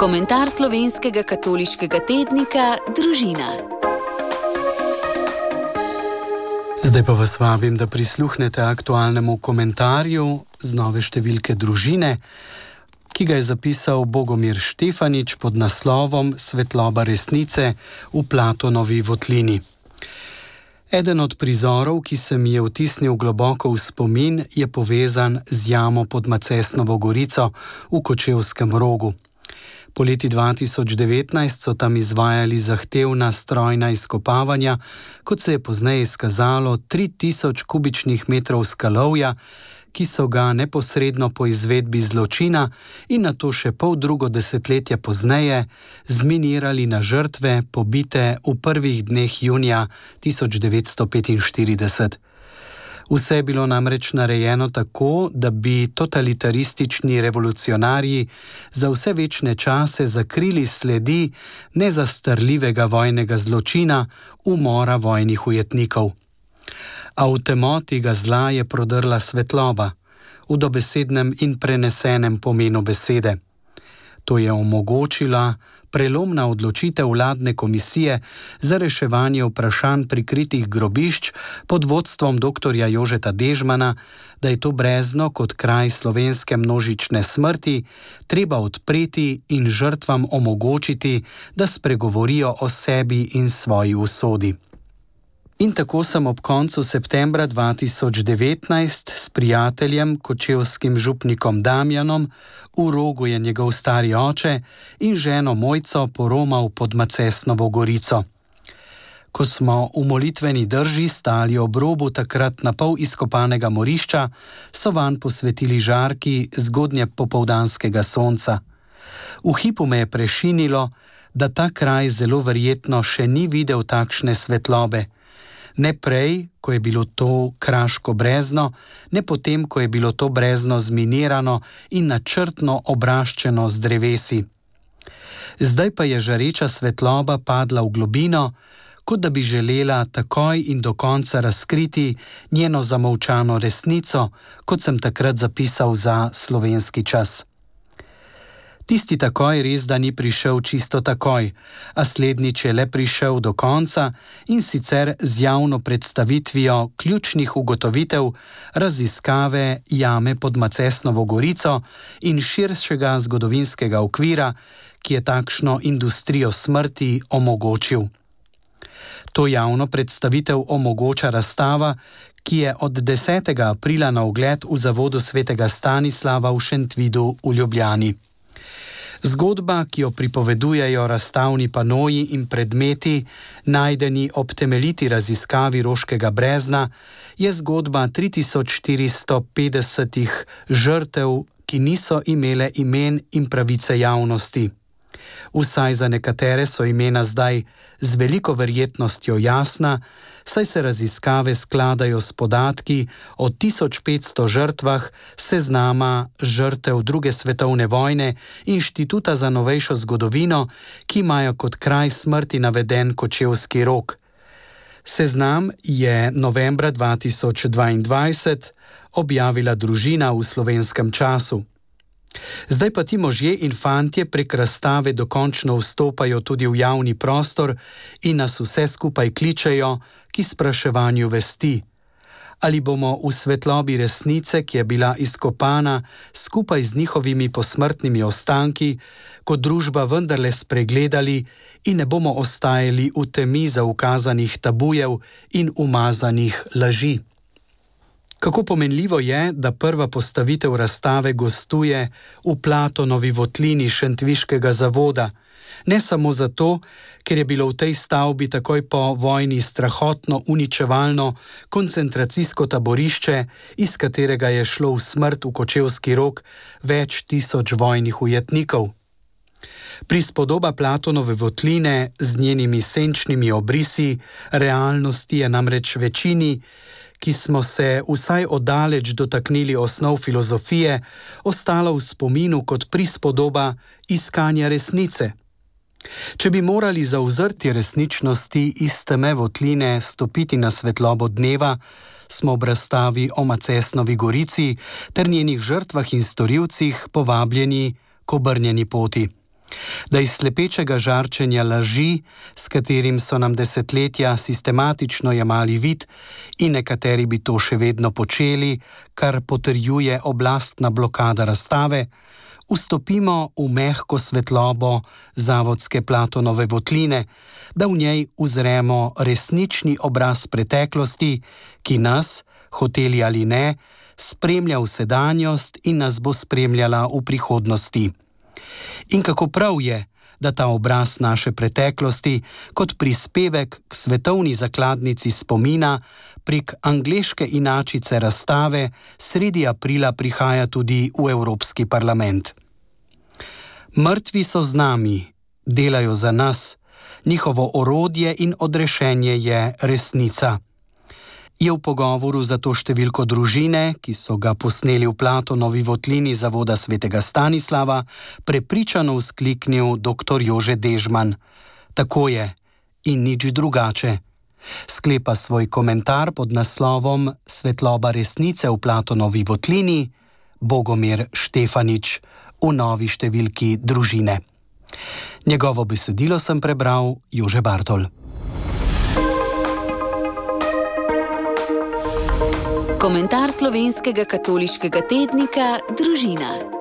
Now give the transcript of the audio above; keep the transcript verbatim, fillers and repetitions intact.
Komentar slovenskega katoliškega tednika Družina. Zdaj pa vas vabim, da prisluhnete aktualnemu komentarju z nove številke Družine, ki ga je zapisal Bogomir Štefanič pod naslovom Svetloba resnice v Platonovi votlini. Eden od prizorov, ki se mi je vtisnil globoko v spomin, je povezan z jamo pod Macesnovo gorico v Kočevskem Rogu. Poleti dva tisoč devetnajst so tam izvajali zahtevna strojna izkopavanja, kot se je pozneje izkazalo tri tisoč kubičnih metrov skalovja, ki so ga neposredno po izvedbi zločina in nato še pol drugo desetletje pozneje zminirali na žrtve, pobite v prvih dneh junija tisoč devetsto petinštirideset. Vse je bilo namreč narejeno tako, da bi totalitaristični revolucionarji za vse večne čase zakrili sledi nezastarljivega vojnega zločina, umora vojnih ujetnikov. A v temoti ga zla je prodrla svetloba, v dobesednem in prenesenem pomenu besede. To je omogočila prelomna odločitev vladne komisije za reševanje vprašanj prikritih grobišč pod vodstvom doktorja Jožeta Dežmana, da je to brezno kot kraj slovenske množične smrti treba odpreti in žrtvam omogočiti, da spregovorijo o sebi in svoji usodi. In tako sem ob koncu septembra dva tisoč devetnajst s prijateljem, kočevskim župnikom Damjanom, v Rogu je njegov stari oče, in ženo Mojco poromal pod Macesnovo gorico. Ko smo v molitveni drži stali ob robu takrat na pol izkopanega morišča, so vanj posvetili žarki zgodnje popoldanskega sonca. V hipu me je prešinilo, da ta kraj zelo verjetno še ni videl takšne svetlobe. Ne prej, ko je bilo to kraško brezno, ne potem, ko je bilo to brezno zminirano in načrtno obraščeno z drevesi. Zdaj pa je žareča svetloba padla v globino, kot da bi želela takoj in do konca razkriti njeno zamolčano resnico, kot sem takrat zapisal za Slovenski čas. Tisti takoj res da ni prišel čisto takoj, a slednjič je le prišel do konca in sicer z javno predstavitvijo ključnih ugotovitev raziskave jame pod Macesnovo gorico in širšega zgodovinskega okvira, ki je takšno industrijo smrti omogočil. To javno predstavitev omogoča razstava, ki je od desetega aprila na ogled v Zavodu svetega Stanislava v Šentvidu v Ljubljani. Zgodba, ki jo pripovedujejo razstavni panoji in predmeti, najdeni ob temeljiti raziskavi Roškega brezna, je zgodba tri tisoč štiristo petdesetih žrtev, ki niso imele imen in pravice javnosti. Vsaj za nekatere so imena zdaj z veliko verjetnostjo jasna, saj se raziskave skladajo s podatki o tisoč petsto žrtvah seznama žrtev druge svetovne vojne Inštituta za novejšo zgodovino, ki imajo kot kraj smrti naveden Kočevski Rog. Seznam je novembra dva tisoč dvaindvajset objavila Družina v Slovenskem času. Zdaj pa ti možje in fantje prek razstave dokončno vstopajo tudi v javni prostor in nas vse skupaj kličejo k spraševanju vesti. Ali bomo v svetlobi resnice, ki je bila izkopana skupaj z njihovimi posmrtnimi ostanki, kot družba vendarle spregledali in ne bomo ostajali v temi zaukazanih tabujev in umazanih laži. Kako pomenljivo je, da prva postavitev razstave gostuje v Platonovi votlini Šentviškega zavoda. Ne samo zato, ker je bilo v tej stavbi takoj po vojni strahotno uničevalno koncentracijsko taborišče, iz katerega je šlo v smrt v Kočevski Rog več tisoč vojnih ujetnikov. Prispodoba Platonove votline z njenimi senčnimi obrisi realnosti je namreč večini, ki smo se vsaj oddaleč dotaknili osnov filozofije, ostala v spominu kot prispodoba iskanja resnice. Če bi morali za vzrtje resničnosti iz teme votline stopiti na svetlobo dneva, smo ob razstavi o Macesnovi gorici ter njenih žrtvah in storilcih povabljeni k obrnjeni poti. Da iz slepečega žarčenja laži, s katerim so nam desetletja sistematično jemali vid in nekateri bi to še vedno počeli, kar potrjuje oblastna blokada razstave, vstopimo v mehko svetlobo zavodske Platonove votline, da v njej uzremo resnični obraz preteklosti, ki nas, hoteli ali ne, spremlja v sedanjost in nas bo spremljala v prihodnosti. In kako prav je, da ta obraz naše preteklosti kot prispevek k svetovni zakladnici spomina prek angleške inačice razstave sredi aprila prihaja tudi v Evropski parlament. Mrtvi so z nami, delajo za nas, njihovo orodje in odrešenje je resnica. Je v pogovoru za to številko Družine, ki so ga posneli v Platonovi votlini Zavoda svetega Stanislava, prepričano vzkliknil doktor Jože Dežman. Tako je in nič drugače. Sklepa svoj komentar pod naslovom Svetloba resnice v Platonovi votlini Bogomir Štefanič v novi številki Družine. Njegovo besedilo sem prebral Jože Bartol. Komentar slovenskega katoliškega tednika Družina.